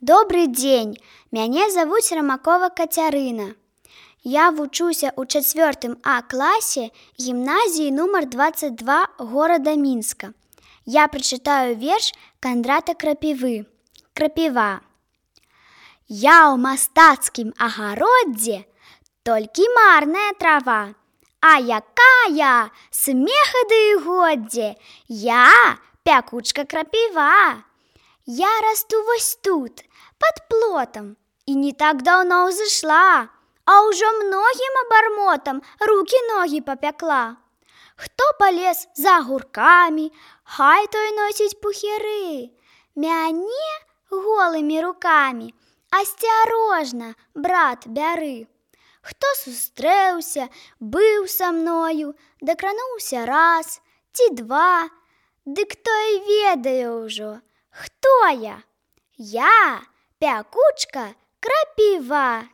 Добрый дзень, мяне завуць Рамакова Кацярына. Я вучуся ў 4 А класе гімназіі нумар 22 горада Мінска. Я прачытаю верш Кандрата Крапівы. Крапіва. Я ў мастацкім агароддзе, толькі марная трава. А якая смеха ды і годдзе, я пякучка крапіва. Я расту вось тут, под плотом, і не так даўно ўзышла, а ўжо многім абармотам рукі-ногі папякла. Хто палез за агуркамі, хай той носіць пухіры. Мяне голымі рукамі асцярожна, брат, бяры. Хто сустрэўся, быў са мною, дакрануўся раз ці два, дык той ведае ўжо, хто я? Я пякучка крапіва.